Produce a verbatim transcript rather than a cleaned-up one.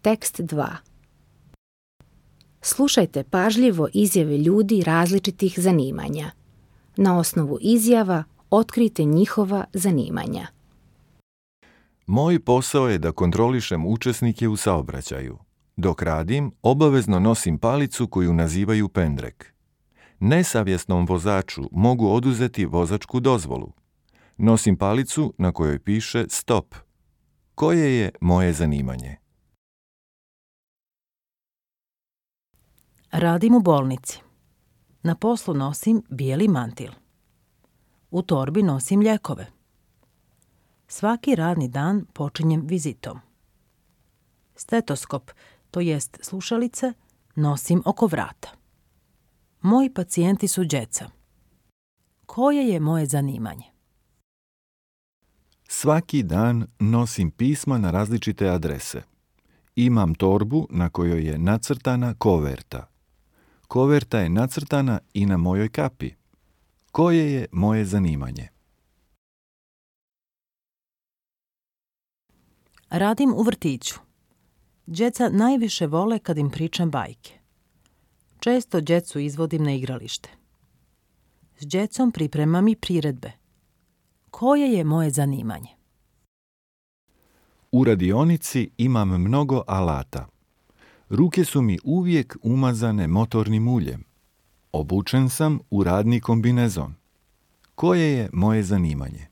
Tekst dva. Slušajte pažljivo izjave ljudi različitih zanimanja. Na osnovu izjava otkrijte njihova zanimanja. Moj posao je da kontrolišem učesnike u saobraćaju. Dok radim, obavezno nosim palicu koju nazivaju pendrek. Nesavjesnom vozaču mogu oduzeti vozačku dozvolu. Nosim palicu na kojoj piše stop. Koje je moje zanimanje? Radim u bolnici. Na poslu nosim bijeli mantil. U torbi nosim lijekove. Svaki radni dan počinjem vizitom. Stetoskop, to jest slušalice, nosim oko vrata. Moji pacijenti su djeca. Koje je moje zanimanje? Svaki dan nosim pisma na različite adrese. Imam torbu na kojoj je nacrtana koverta. Koverta je nacrtana i na mojoj kapi. Koje je moje zanimanje? Radim u vrtiću. Djeca najviše vole kad im pričam bajke. Često djecu izvodim na igralište. S djecom pripremam i priredbe. Koje je moje zanimanje? U radionici imam mnogo alata. Ruke su mi uvijek umazane motornim uljem. Obučen sam u radni kombinezon. Koje je moje zanimanje?